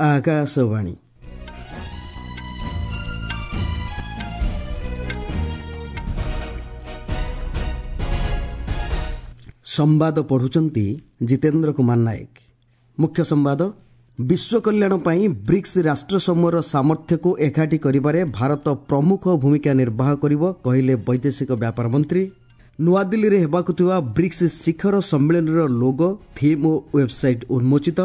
ଆକାଶବାଣୀ। ସମ୍ବାଦ ପଢୁଛନ୍ତି ଜିତେନ୍ଦ୍ର କୁମାର ନାୟକ। ମୁଖ୍ୟ ସମ୍ବାଦ। ବିଶ୍ୱ କଲ୍ୟାଣ ପାଇଁ ବ୍ରିକ୍ସ ରାଷ୍ଟ୍ରସମୂହର ସାମର୍ଥ୍ୟକୁ ଏକାଠି କରିବାରେ ଭାରତ ପ୍ରମୁଖ ଭୂମିକା ନିର୍ବାହ କରିବ, କହିଲେ ବୈଦେଶିକ ବ୍ୟାପାର ମନ୍ତ୍ରୀ। ନୂଆଦିଲ୍ଲୀରେ ହେବାକୁ ଥିବା ବ୍ରିକ୍ସ ଶିଖର ସମ୍ମିଳନୀର ଲୋଗୋ, ଥିମ୍ ଓ ୱେବ୍ସାଇଟ୍ ଉନ୍ମୋଚିତ।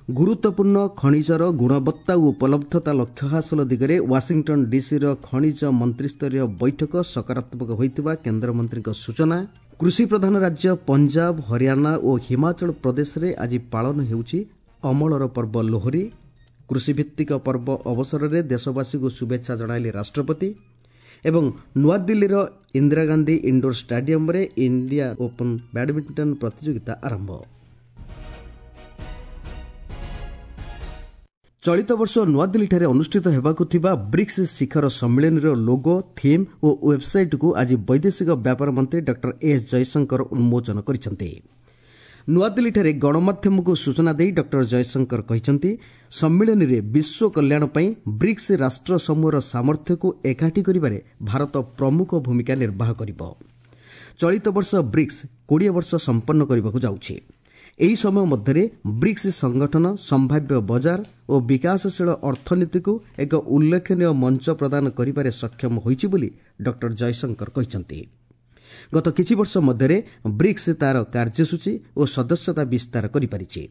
ଗୁରୁତ୍ୱପୂର୍ଣ୍ଣ ଖଣିଜର ଗୁଣବତ୍ତା ଓ ଉପଲବ୍ଧତା ଲକ୍ଷ୍ୟ ହାସଲ ଦିଗରେ ୱାଶିଂଟନ୍ ଡିସିର ଖଣିଜ ମନ୍ତ୍ରିସ୍ତରୀୟ ବୈଠକ ସକାରାତ୍ମକ ହୋଇଥିବା କେନ୍ଦ୍ରମନ୍ତ୍ରୀଙ୍କ ସୂଚନା। କୃଷିପ୍ରଧାନ ରାଜ୍ୟ ପଞ୍ଜାବ, ହରିୟାଣା ଓ ହିମାଚଳ ପ୍ରଦେଶରେ ଆଜି ପାଳନ ହେଉଛି ଅମଳର ପର୍ବ ଲୋହରୀ। କୃଷିଭିତ୍ତିକ ପର୍ବ ଅବସରରେ ଦେଶବାସୀଙ୍କୁ ଶୁଭେଚ୍ଛା ଜଣାଇଲେ ରାଷ୍ଟ୍ରପତି। ଏବଂ ନୂଆଦିଲ୍ଲୀର ଇନ୍ଦିରାଗାନ୍ଧୀ ଇଣ୍ଡୋର ଷ୍ଟାଡିୟମରେ ଇଣ୍ଡିଆ ଓପନ୍ ବ୍ୟାଡମିଣ୍ଟନ ପ୍ରତିଯୋଗିତା ଆରମ୍ଭ। ଚଳିତ ବର୍ଷ ନୂଆଦିଲ୍ଲୀଠାରେ ଅନୁଷ୍ଠିତ ହେବାକୁ ଥିବା ବ୍ରିକ୍ସ ଶିଖର ସମ୍ମିଳନୀର ଲୋଗୋ, ଥିମ୍ ଓ ୱେବ୍ସାଇଟ୍କୁ ଆଜି ବୈଦେଶିକ ବ୍ୟାପାର ମନ୍ତ୍ରୀ ଡକ୍ଟର ଏସ୍ ଜୟଶଙ୍କର ଉନ୍ମୋଚନ କରିଛନ୍ତି। ନୂଆଦିଲ୍ଲୀଠାରେ ଗଣମାଧ୍ୟମକୁ ସୂଚନା ଦେଇ ଡକ୍ଟର ଜୟଶଙ୍କର କହିଛନ୍ତି, ସମ୍ମିଳନୀରେ ବିଶ୍ୱ କଲ୍ୟାଣ ପାଇଁ ବ୍ରିକ୍ସ ରାଷ୍ଟ୍ର ସମୂହର ସାମର୍ଥ୍ୟକୁ ଏକାଠି କରିବାରେ ଭାରତ ପ୍ରମୁଖ ଭୂମିକା ନିର୍ବାହ କରିବ। ଚଳିତ ବର୍ଷ ବ୍ରିକ୍ସ 20 ବର୍ଷ ସମ୍ପନ୍ନ କରିବାକୁ ଯାଉଛି। ଏହି ସମୟ ମଧ୍ୟରେ ବ୍ରିକ୍ସ ସଂଗଠନ ସମ୍ଭାବ୍ୟ ବଜାର ଓ ବିକାଶଶୀଳ ଅର୍ଥନୀତିକୁ ଏକ ଉଲ୍ଲେଖନୀୟ ମଞ୍ଚ ପ୍ରଦାନ କରିବାରେ ସକ୍ଷମ ହୋଇଛି ବୋଲି ଡକ୍ଟର ଜୟଶଙ୍କର କହିଛନ୍ତି। ଗତ କିଛି ବର୍ଷ ମଧ୍ୟରେ ବ୍ରିକ୍ସ ତା'ର କାର୍ଯ୍ୟସୂଚୀ ଓ ସଦସ୍ୟତା ବିସ୍ତାର କରିପାରିଛି।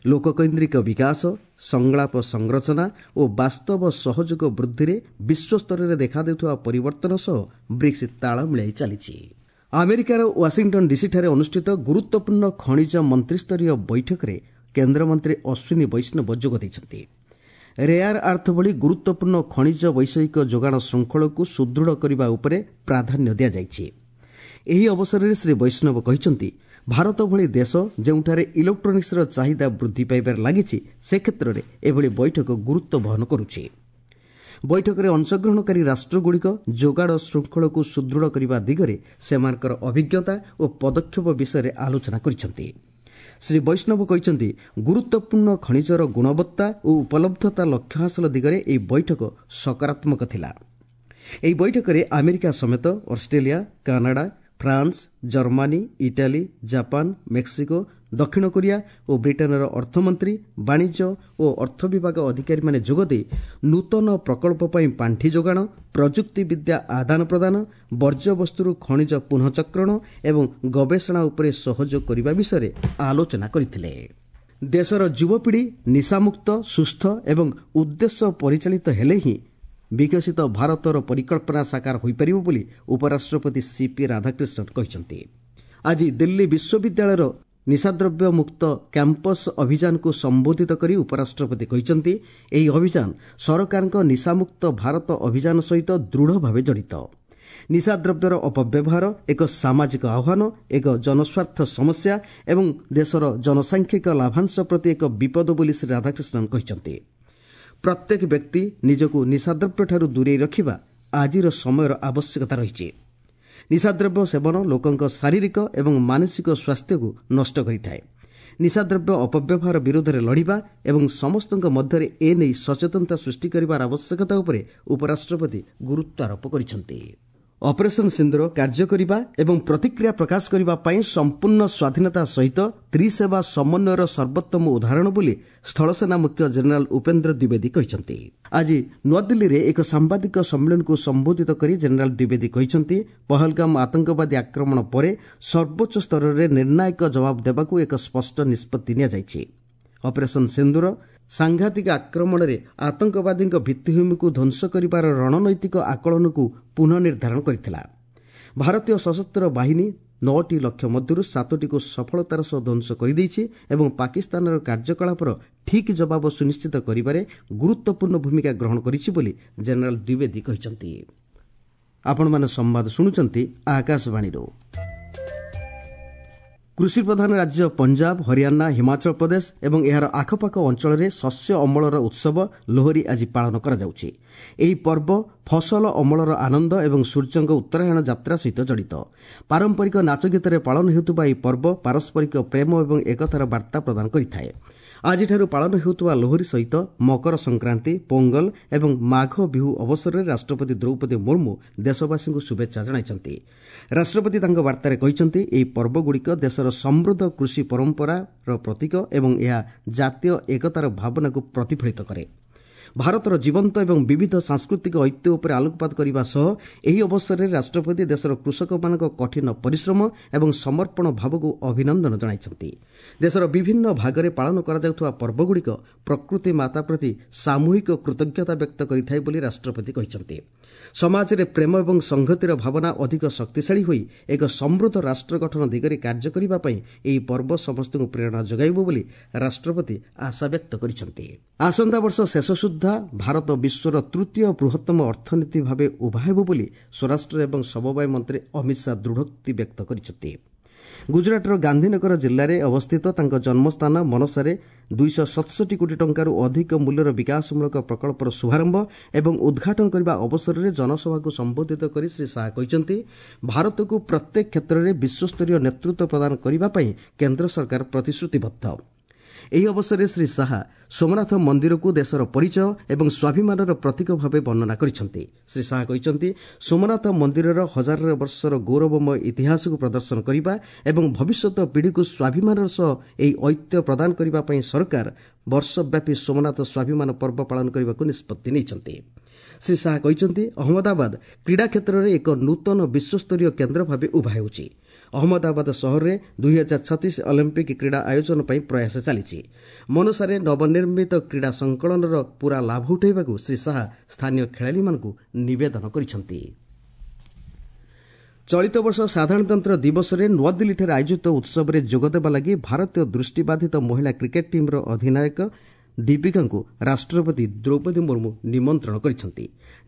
ଲୋକକୈନ୍ଦ୍ରିକ ବିକାଶ, ସଂଳାପ ସଂରଚନା ଓ ବାସ୍ତବ ସହଯୋଗ ବୃଦ୍ଧିରେ ବିଶ୍ୱସ୍ତରରେ ଦେଖାଦେଉଥିବା ପରିବର୍ତ୍ତନ ସହ ବ୍ରିକ୍ସ ତାଳ ମିଳାଇ ଚାଲିଛି। ଆମେରିକାର ୱାଶିଂଟନ୍ ଡିସିଠାରେ ଅନୁଷ୍ଠିତ ଗୁରୁତ୍ୱପୂର୍ଣ୍ଣ ଖଣିଜ ମନ୍ତ୍ରିସ୍ତରୀୟ ବୈଠକରେ କେନ୍ଦ୍ରମନ୍ତ୍ରୀ ଅଶ୍ୱିନୀ ବୈଷ୍ଣବ ଯୋଗ ଦେଇଛନ୍ତି। ରେୟାର ଆର୍ଥ ଭଳି ଗୁରୁତ୍ୱପୂର୍ଣ୍ଣ ଖଣିଜ ବୈଷୟିକ ଯୋଗାଣ ଶୃଙ୍ଖଳକୁ ସୁଦୃଢ଼ କରିବା ଉପରେ ପ୍ରାଧାନ୍ୟ ଦିଆଯାଇଛି। ଏହି ଅବସରରେ ଶ୍ରୀ ବୈଷ୍ଣବ କହିଛନ୍ତି, ଭାରତ ଭଳି ଦେଶ ଯେଉଁଠାରେ ଇଲେକ୍ଟ୍ରୋନିକ୍ସର ଚାହିଦା ବୃଦ୍ଧି ପାଇବାରେ ଲାଗିଛି, ସେ କ୍ଷେତ୍ରରେ ଏଭଳି ବୈଠକ ଗୁରୁତ୍ୱ ବହନ କରୁଛି। ବୈଠକରେ ଅଂଶଗ୍ରହଣକାରୀ ରାଷ୍ଟ୍ରଗୁଡ଼ିକ ଯୋଗାଣ ଶୃଙ୍ଖଳକୁ ସୁଦୃଢ଼ କରିବା ଦିଗରେ ସେମାନଙ୍କର ଅଭିଜ୍ଞତା ଓ ପଦକ୍ଷେପ ବିଷୟରେ ଆଲୋଚନା କରିଛନ୍ତି। ଶ୍ରୀ ବୈଷ୍ଣବ କହିଛନ୍ତି, ଗୁରୁତ୍ୱପୂର୍ଣ୍ଣ ଖଣିଜର ଗୁଣବତ୍ତା ଓ ଉପଲବ୍ଧତା ଲକ୍ଷ୍ୟ ହାସଲ ଦିଗରେ ଏହି ବୈଠକ ସକାରାତ୍ମକ ଥିଲା। ଏହି ବୈଠକରେ ଆମେରିକା ସମେତ Australia, Canada, France, Germany, Italy, Japan, Mexico, ଦକ୍ଷିଣ କୋରିଆ ଓ ବ୍ରିଟେନ୍ର ଅର୍ଥମନ୍ତ୍ରୀ, ବାଣିଜ୍ୟ ଓ ଅର୍ଥ ବିଭାଗ ଅଧିକାରୀମାନେ ଯୋଗଦେଇ ନୂତନ ପ୍ରକଳ୍ପ ପାଇଁ ପାଣ୍ଠି ଯୋଗାଣ, ପ୍ରଯୁକ୍ତିବିଦ୍ୟା ଆଦାନ ପ୍ରଦାନ, ବର୍ଜ୍ୟବସ୍ତୁରୁ ଖଣିଜ ପୁନଃଚକ୍ରଣ ଏବଂ ଗବେଷଣା ଉପରେ ସହଯୋଗ କରିବା ବିଷୟରେ ଆଲୋଚନା କରିଥିଲେ। ଦେଶର ଯୁବପିଢ଼ି ନିଶାମୁକ୍ତ, ସୁସ୍ଥ ଏବଂ ଉଦ୍ଦେଶ୍ୟ ପରିଚାଳିତ ହେଲେ ହିଁ ବିକଶିତ ଭାରତର ପରିକଳ୍ପନା ସାକାର ହୋଇପାରିବ ବୋଲି ଉପରାଷ୍ଟ୍ରପତି ସିପି ରାଧାକ୍ରିଷ୍ଣନ୍ କହିଛନ୍ତି। ଆଜି ଦିଲ୍ଲୀ ବିଶ୍ୱବିଦ୍ୟାଳୟର ନିଶାଦ୍ରବ୍ୟ ମୁକ୍ତ କ୍ୟାମ୍ପସ୍ ଅଭିଯାନକୁ ସମ୍ବୋଧିତ କରି ଉପରାଷ୍ଟ୍ରପତି କହିଛନ୍ତି, ଏହି ଅଭିଯାନ ସରକାରଙ୍କ ନିଶାମୁକ୍ତ ଭାରତ ଅଭିଯାନ ସହିତ ଦୃଢ଼ ଭାବେ ଜଡ଼ିତ। ନିଶାଦ୍ରବ୍ୟର ଅପବ୍ୟବହାର ଏକ ସାମାଜିକ ଆହ୍ୱାନ, ଏକ ଜନସ୍ୱାର୍ଥ ସମସ୍ୟା ଏବଂ ଦେଶର ଜନସାଂଖ୍ୟିକ ଲାଭାଂଶ ପ୍ରତି ଏକ ବିପଦ ବୋଲି ଶ୍ରୀ ରାଧାକ୍ରିଷ୍ଣନ୍ କହିଛନ୍ତି। ପ୍ରତ୍ୟେକ ବ୍ୟକ୍ତି ନିଜକୁ ନିଶାଦ୍ରବ୍ୟଠାରୁ ଦୂରେଇ ରଖିବା ଆଜିର ସମୟର ଆବଶ୍ୟକତା ରହିଛି। ନିଶାଦ୍ରବ୍ୟ ସେବନ ଲୋକଙ୍କ ଶାରୀରିକ ଏବଂ ମାନସିକ ସ୍ୱାସ୍ଥ୍ୟକୁ ନଷ୍ଟ କରିଥାଏ। ନିଶାଦ୍ରବ୍ୟ ଅପବ୍ୟବହାର ବିରୋଧରେ ଲଢ଼ିବା ଏବଂ ସମସ୍ତଙ୍କ ମଧ୍ୟରେ ଏ ନେଇ ସଚେତନତା ସୃଷ୍ଟି କରିବାର ଆବଶ୍ୟକତା ଉପରେ ଉପରାଷ୍ଟ୍ରପତି ଗୁରୁତ୍ୱାରୋପ କରିଛନ୍ତି। ଅପରେସନ୍ ସିନ୍ଦୁର କାର୍ଯ୍ୟ କରିବା ଏବଂ ପ୍ରତିକ୍ରିୟା ପ୍ରକାଶ କରିବା ପାଇଁ ସମ୍ପୂର୍ଣ୍ଣ ସ୍ୱାଧୀନତା ସହିତ ତ୍ରିସେବା ସମନ୍ୱୟର ସର୍ବୋତ୍ତମ ଉଦାହରଣ ବୋଲି ସ୍ଥଳସେନା ମୁଖ୍ୟ ଜେନେରାଲ ଉପେନ୍ଦ୍ର ଦ୍ୱିବେଦୀ କହିଛନ୍ତି। ଆଜି ନୂଆଦିଲ୍ଲୀରେ ଏକ ସାମ୍ବାଦିକ ସମ୍ମିଳନୀକୁ ସମ୍ବୋଧିତ କରି ଜେନେରାଲ ଦ୍ୱିବେଦୀ କହିଛନ୍ତି, ପହଲଗାମ ଆତଙ୍କବାଦୀ ଆକ୍ରମଣ ପରେ ସର୍ବୋଚ୍ଚ ସ୍ତରରେ ନିର୍ଣ୍ଣାୟକ ଜବାବ ଦେବାକୁ ଏକ ସ୍ପଷ୍ଟ ନିଷ୍ପତ୍ତି ନିଆଯାଇଛି। ଅପରେସନ୍ ସିନ୍ଦୁର ସାଂଘାତିକ ଆକ୍ରମଣରେ ଆତଙ୍କବାଦୀଙ୍କ ଭିତ୍ତିଭୂମିକୁ ଧ୍ୱଂସ କରିବାର ରଣନୈତିକ ଆକଳନକୁ ପୁନଃ ନିର୍ଦ୍ଧାରଣ କରିଥିଲା। ଭାରତୀୟ ସଶସ୍ତ୍ର ବାହିନୀ 9ଟି ଲକ୍ଷ୍ୟ ମଧ୍ୟରୁ 7ଟିକୁ ସଫଳତାର ସହ ଧ୍ୱଂସ କରିଦେଇଛି ଏବଂ ପାକିସ୍ତାନର କାର୍ଯ୍ୟକଳାପର ଠିକ୍ ଜବାବ ସୁନିଶ୍ଚିତ କରିବାରେ ଗୁରୁତ୍ୱପୂର୍ଣ୍ଣ ଭୂମିକା ଗ୍ରହଣ କରିଛି ବୋଲି ଜେନେରାଲ ଦ୍ୱିବେଦୀ କହିଛନ୍ତି। ଆପଣମାନେ ସମ୍ବାଦ ଶୁଣୁଛନ୍ତି ଆକାଶବାଣୀରୁ। କୃଷିପ୍ରଧାନ ରାଜ୍ୟ ପଞ୍ଜାବ, ହରିୟାଣା, ହିମାଚଳ ପ୍ରଦେଶ ଏବଂ ଏହାର ଆଖପାଖ ଅଞ୍ଚଳରେ ଶସ୍ୟ ଅମଳର ଉତ୍ସବ ଲୋହରୀ ଆଜି ପାଳନ କରାଯାଉଛି। ଏହି ପର୍ବ ଫସଲ ଅମଳର ଆନନ୍ଦ ଏବଂ ସୂର୍ଯ୍ୟଙ୍କ ଉତ୍ତରାୟଣ ଯାତ୍ରା ସହିତ ଜଡ଼ିତ। ପାରମ୍ପରିକ ନାଚଗୀତରେ ପାଳନ ହେଉଥିବା ଏହି ପର୍ବ ପାରସ୍ପରିକ ପ୍ରେମ ଏବଂ ଏକତାର ବାର୍ତ୍ତା ପ୍ରଦାନ କରିଥାଏ। ଆଜିଠାରୁ ପାଳନ ହେଉଥିବା ଲୋହରୀ ସହିତ ମକର ସଂକ୍ରାନ୍ତି, ପୋଙ୍ଗଲ ଏବଂ ମାଘ ବିହୁ ଅବସରରେ ରାଷ୍ଟ୍ରପତି ଦ୍ରୌପଦୀ ମୁର୍ମୁ ଦେଶବାସୀଙ୍କୁ ଶୁଭେଚ୍ଛା ଜଣାଇଛନ୍ତି। ରାଷ୍ଟ୍ରପତି ତାଙ୍କ ବାର୍ତ୍ତାରେ କହିଛନ୍ତି, ଏହି ପର୍ବଗୁଡ଼ିକ ଦେଶର ସମୃଦ୍ଧ କୃଷି ପରମ୍ପରାର ପ୍ରତୀକ ଏବଂ ଏହା ଜାତୀୟ ଏକତାର ଭାବନାକୁ ପ୍ରତିଫଳିତ କରେ। ଭାରତର ଜୀବନ୍ତ ଏବଂ ବିବିଧ ସାଂସ୍କୃତିକ ଐତିହ୍ୟ ଉପରେ ଆଲୋକପାତ କରିବା ସହ ଏହି ଅବସରରେ ରାଷ୍ଟ୍ରପତି ଦେଶର କୃଷକମାନଙ୍କ କଠିନ ପରିଶ୍ରମ ଏବଂ ସମର୍ପଣ ଭାବକୁ ଅଭିନନ୍ଦନ ଜଣାଇଛନ୍ତି। ଦେଶର ବିଭିନ୍ନ ଭାଗରେ ପାଳନ କରାଯାଉଥିବା ପର୍ବଗୁଡ଼ିକ ପ୍ରକୃତି ମାତା ପ୍ରତି ସାମୂହିକ କୃତଜ୍ଞତା ବ୍ୟକ୍ତ କରିଥାଏ ବୋଲି ରାଷ୍ଟ୍ରପତି କହିଛନ୍ତି। ସମାଜରେ ପ୍ରେମ ଏବଂ ସଂହତିର ଭାବନା ଅଧିକ ଶକ୍ତିଶାଳୀ ହୋଇ ଏକ ସମୃଦ୍ଧ ରାଷ୍ଟ୍ର ଗଠନ ଦିଗରେ କାର୍ଯ୍ୟ କରିବା ପାଇଁ ଏହି ପର୍ବ ସମସ୍ତଙ୍କୁ ପ୍ରେରଣା ଯୋଗାଇବ ବୋଲି ରାଷ୍ଟ୍ରପତି ଆଶା ବ୍ୟକ୍ତ କରିଛନ୍ତି। ଆସନ୍ତା ବର୍ଷ ଶେଷ ସୁଦ୍ଧା ଭାରତ ବିଶ୍ୱର ତୃତୀୟ ବୃହତ୍ତମ ଅର୍ଥନୀତି ଭାବେ ଉଭା ହେବ ବୋଲି ସ୍ୱରାଷ୍ଟ୍ର ଏବଂ ସମବାୟ ମନ୍ତ୍ରୀ ଅମିତ ଶାହା ଦୃଢ଼ୋକ୍ତି ବ୍ୟକ୍ତ କରିଛନ୍ତି। ଗୁଜରାଟର ଗାନ୍ଧୀନଗର ଜିଲ୍ଲାରେ ଅବସ୍ଥିତ ତାଙ୍କ ଜନ୍ମସ୍ଥାନ ମନସାରେ 267 କୋଟି ଟଙ୍କାରୁ ଅଧିକ ମୂଲ୍ୟର ବିକାଶମୂଳକ ପ୍ରକଳ୍ପର ଶୁଭାରମ୍ଭ ଏବଂ ଉଦ୍ଘାଟନ କରିବା ଅବସରରେ ଜନସଭାକୁ ସମ୍ବୋଧିତ କରି ଶ୍ରୀ ଶାହା କହିଛନ୍ତି, ଭାରତକୁ ପ୍ରତ୍ୟେକ କ୍ଷେତ୍ରରେ ବିଶ୍ୱସ୍ତରୀୟ ନେତୃତ୍ୱ ପ୍ରଦାନ କରିବା ପାଇଁ କେନ୍ଦ୍ର ସରକାର ପ୍ରତିଶ୍ରୁତିବଦ୍ଧ। ଏହି ଅବସରରେ ଶ୍ରୀ ଶାହା ସୋମନାଥ ମନ୍ଦିରକୁ ଦେଶର ପରିଚୟ ଏବଂ ସ୍ୱାଭିମାନର ପ୍ରତୀକ ଭାବେ ବର୍ଣ୍ଣନା କରିଛନ୍ତି। ଶ୍ରୀ ଶାହା କହିଛନ୍ତି, ସୋମନାଥ ମନ୍ଦିରର ହଜାର ବର୍ଷର ଗୌରବମୟ ଇତିହାସକୁ ପ୍ରଦର୍ଶନ କରିବା ଏବଂ ଭବିଷ୍ୟତ ପିଢ଼ିକୁ ସ୍ୱାଭିମାନର ସହ ଏହି ଐତିହ୍ୟ ପ୍ରଦାନ କରିବା ପାଇଁ ସରକାର ବର୍ଷବ୍ୟାପୀ ସୋମନାଥ ସ୍ୱାଭିମାନ ପର୍ବ ପାଳନ କରିବାକୁ ନିଷ୍ପତ୍ତି ନେଇଛନ୍ତି। ଶ୍ରୀ ଶାହା କହିଛନ୍ତି, ଅହମ୍ମଦାବାଦ କ୍ରୀଡ଼ା କ୍ଷେତ୍ରରେ ଏକ ନୂତନ ବିଶ୍ୱସ୍ତରୀୟ କେନ୍ଦ୍ର ଭାବେ ଉଭା ହେଉଛି। ଅହମ୍ମଦାବାଦ ସହରରେ 2036 ଅଲିମ୍ପିକ୍ କ୍ରୀଡ଼ା ଆୟୋଜନ ପାଇଁ ପ୍ରୟାସ ଚାଲିଛି। ମନସାରେ ନବନିର୍ମିତ କ୍ରୀଡ଼ା ସଂକଳନର ପୂରା ଲାଭ ଉଠାଇବାକୁ ଶ୍ରୀ ଶାହା ସ୍ଥାନୀୟ ଖେଳାଳିମାନଙ୍କୁ ନିବେଦନ କରିଛନ୍ତି। ଚଳିତ ବର୍ଷ ସାଧାରଣତନ୍ତ୍ର ଦିବସରେ ନୂଆଦିଲ୍ଲୀଠାରେ ଆୟୋଜିତ ଉତ୍ସବରେ ଯୋଗଦେବା ଲାଗି ଭାରତୀୟ ଦୃଷ୍ଟିବାଧିତ ମହିଳା କ୍ରିକେଟ୍ ଟିମ୍ର ଅଧିନାୟକ ଦୀପିକାଙ୍କୁ ରାଷ୍ଟ୍ରପତି ଦ୍ରୌପଦୀ ମୁର୍ମୁ ନିମନ୍ତ୍ରଣ କରିଛନ୍ତି।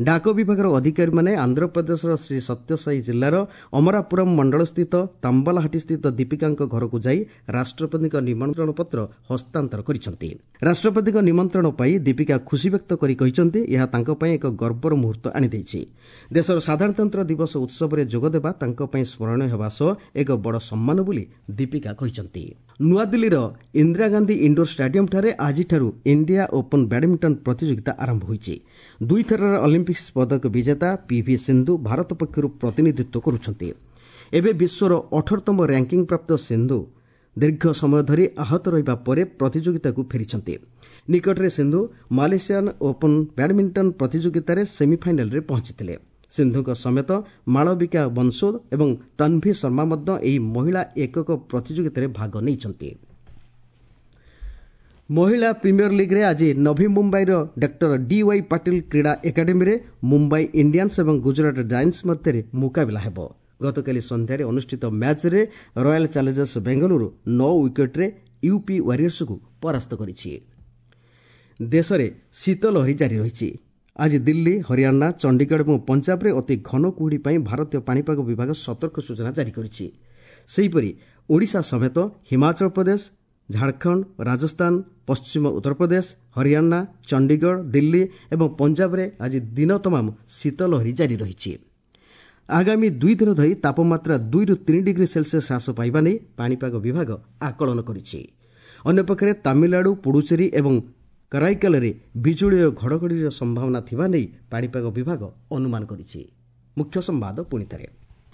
ଡାକ ବିଭାଗର ଅଧିକାରୀମାନେ ଆନ୍ଧ୍ରପ୍ରଦେଶର ଶ୍ରୀ ସତ୍ୟସାଇ ଜିଲ୍ଲାର ଅମରାପୁରମ୍ ମଣ୍ଡଳସ୍ଥିତ ତାମ୍ବାଲାହାଟିସ୍ଥିତ ଦୀପିକାଙ୍କ ଘରକୁ ଯାଇ ରାଷ୍ଟ୍ରପତିଙ୍କ ନିମନ୍ତ୍ରଣ ପତ୍ର ହସ୍ତାନ୍ତର କରିଛନ୍ତି। ରାଷ୍ଟ୍ରପତିଙ୍କ ନିମନ୍ତ୍ରଣ ପାଇ ଦୀପିକା ଖୁସି ବ୍ୟକ୍ତ କରି କହିଛନ୍ତି, ଏହା ତାଙ୍କ ପାଇଁ ଏକ ଗର୍ବର ମୁହୂର୍ତ୍ତ ଆଣିଦେଇଛି। ଦେଶର ସାଧାରଣତନ୍ତ୍ର ଦିବସ ଉତ୍ସବରେ ଯୋଗଦେବା ତାଙ୍କ ପାଇଁ ସ୍ମରଣୀୟ ହେବା ସହ ଏକ ବଡ଼ ସମ୍ମାନ ବୋଲି ଦୀପିକା କହିଛନ୍ତି। ନୂଆଦିଲ୍ଲୀର ଇନ୍ଦିରା ଗାନ୍ଧୀ ଇଣ୍ଡୋର ଷ୍ଟାଡିୟମ୍ଠାରେ ଆଜିଠାରୁ ଇଣ୍ଡିଆ ଓପନ୍ ବ୍ୟାଡମିଣ୍ଟନ ପ୍ରତିଯୋଗିତା ଆରମ୍ଭ ହୋଇଛି। ଦୁଇଥରର ଅଲିମ୍ପିକ୍ସ ପଦକ ବିଜେତା ପିଭି ସିନ୍ଧୁ ଭାରତ ପକ୍ଷରୁ ପ୍ରତିନିଧିତ୍ୱ କରୁଛନ୍ତି। ଏବେ ବିଶ୍ୱର 18ତମ ର୍ୟାଙ୍କିଂ ପ୍ରାପ୍ତ ସିନ୍ଧୁ ଦୀର୍ଘ ସମୟ ଧରି ଆହତ ରହିବା ପରେ ପ୍ରତିଯୋଗିତାକୁ ଫେରିଛନ୍ତି। ନିକଟରେ ସିନ୍ଧୁ ମାଲେସିଆନ୍ ଓପନ୍ ବ୍ୟାଡମିଣ୍ଟନ ପ୍ରତିଯୋଗିତାରେ ସେମିଫାଇନାଲରେ ପହଞ୍ଚିଥିଲେ। ସିନ୍ଧୁଙ୍କ ସମେତ ମାଳବିକା ବଂଶୋଦ ଏବଂ ତନ୍ଭି ଶର୍ମା ମଧ୍ୟ ଏହି ମହିଳା ଏକକ ପ୍ରତିଯୋଗିତାରେ ଭାଗ ନେଇଛନ୍ତି। ମହିଳା ପ୍ରିମିୟର ଲିଗ୍ରେ ଆଜି ନଭି ମୁମ୍ବାଇର ଡକ୍ଟର ଡିୱାଇ ପାଟିଲ କ୍ରୀଡ଼ା ଏକାଡେମୀରେ ମୁମ୍ବାଇ ଇଣ୍ଡିଆନ୍ସ ଏବଂ ଗୁଜରାଟ ଜାଏଣ୍ଟସ୍ ମଧ୍ୟରେ ମୁକାବିଲା ହେବ। ଗତକାଲି ସନ୍ଧ୍ୟାରେ ଅନୁଷ୍ଠିତ ମ୍ୟାଚ୍ରେ ରୟାଲ ଚ୍ୟାଲେଞ୍ଜର୍ସ ବେଙ୍ଗାଲୁରୁ 9 ୱିକେଟ୍ରେ ୟୁପି ୱାରିୟର୍ସକୁ ପରାସ୍ତ କରିଛି। ଦେଶରେ ଶୀତ ଲହରୀ ଜାରି ରହିଛି। ଆଜି ଦିଲ୍ଲୀ, ହରିୟାଣା, ଚଣ୍ଡିଗଡ଼ ଏବଂ ପଞ୍ଜାବରେ ଅତି ଘନ କୁହୁଡ଼ି ପାଇଁ ଭାରତୀୟ ପାଣିପାଗ ବିଭାଗ ସତର୍କ ସୂଚନା ଜାରି କରିଛି। ସେହିପରି ଓଡ଼ିଶା ସମେତ ହିମାଚଳ ପ୍ରଦେଶ, ଝାଡ଼ଖଣ୍ଡ, ରାଜସ୍ଥାନ, ପଶ୍ଚିମ ଉତ୍ତରପ୍ରଦେଶ, ହରିୟାଣା, ଚଣ୍ଡିଗଡ଼, ଦିଲ୍ଲୀ ଏବଂ ପଞ୍ଜାବରେ ଆଜି ଦିନ ତମାମ ଶୀତ ଲହରୀ ଜାରି ରହିଛି। ଆଗାମୀ 2 ଦିନ ଧରି ତାପମାତ୍ରା 2ରୁ 3 ଡିଗ୍ରୀ ସେଲସିୟସ୍ ହ୍ରାସ ପାଇବା ନେଇ ପାଣିପାଗ ବିଭାଗ ଆକଳନ କରିଛି। ଅନ୍ୟପକ୍ଷରେ ତାମିଲନାଡୁ, ପୁଡୁଚେରୀ ଏବଂ କରାଇକାଲରେ ବିଜୁଳି ଓ ଘଡ଼ଘଡ଼ିର ସମ୍ଭାବନା ଥିବା ନେଇ ପାଣିପାଗ ବିଭାଗ ଅନୁମାନ କରିଛି। ମୁଖ୍ୟ ସମ୍ବାଦ ପୁଣିଥରେ।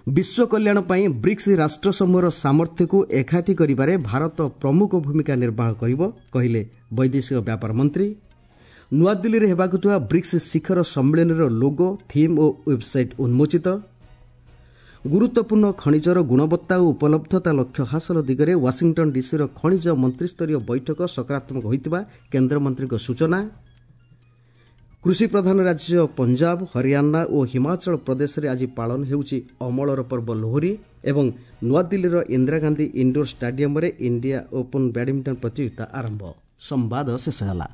ବିଶ୍ୱ କଲ୍ୟାଣ ପାଇଁ ବ୍ରିକ୍ସ ରାଷ୍ଟ୍ରସମୂହର ସାମର୍ଥ୍ୟକୁ ଏକାଠି କରିବାରେ ଭାରତ ପ୍ରମୁଖ ଭୂମିକା ନିର୍ବାହ କରିବ, କହିଲେ ବୈଦେଶିକ ବ୍ୟାପାର ମନ୍ତ୍ରୀ। ନୂଆଦିଲ୍ଲୀରେ ହେବାକୁ ଥିବା ବ୍ରିକ୍ସ ଶିଖର ସମ୍ମିଳନୀର ଲୋଗୋ, ଥିମ୍ ଓ ୱେବ୍ସାଇଟ୍ ଉନ୍ମୋଚିତ। ଗୁରୁତ୍ୱପୂର୍ଣ୍ଣ ଖଣିଜର ଗୁଣବତ୍ତା ଓ ଉପଲବ୍ଧତା ଲକ୍ଷ୍ୟ ହାସଲ ଦିଗରେ ୱାଶିଂଟନ୍ ଡିସିର ଖଣିଜ ମନ୍ତ୍ରିସ୍ତରୀୟ ବୈଠକ ସକାରାତ୍ମକ ହୋଇଥିବା କେନ୍ଦ୍ରମନ୍ତ୍ରୀଙ୍କ ସୂଚନା। କୃଷିପ୍ରଧାନ ରାଜ୍ୟ ପଞ୍ଜାବ, ହରିୟାଣା ଓ ହିମାଚଳ ପ୍ରଦେଶରେ ଆଜି ପାଳନ ହେଉଛି ଅମଳର ପର୍ବ ଲୋହରୀ ଏବଂ ନୂଆଦିଲ୍ଲୀର ଇନ୍ଦିରା ଗାନ୍ଧୀ ଇଣ୍ଡୋର ଷ୍ଟାଡିୟମରେ ଇଣ୍ଡିଆ ଓପନ୍ ବ୍ୟାଡମିଣ୍ଟନ ପ୍ରତିଯୋଗିତା ଆରମ୍ଭ। ସମ୍ବାଦ ଶେଷ ହେଲା।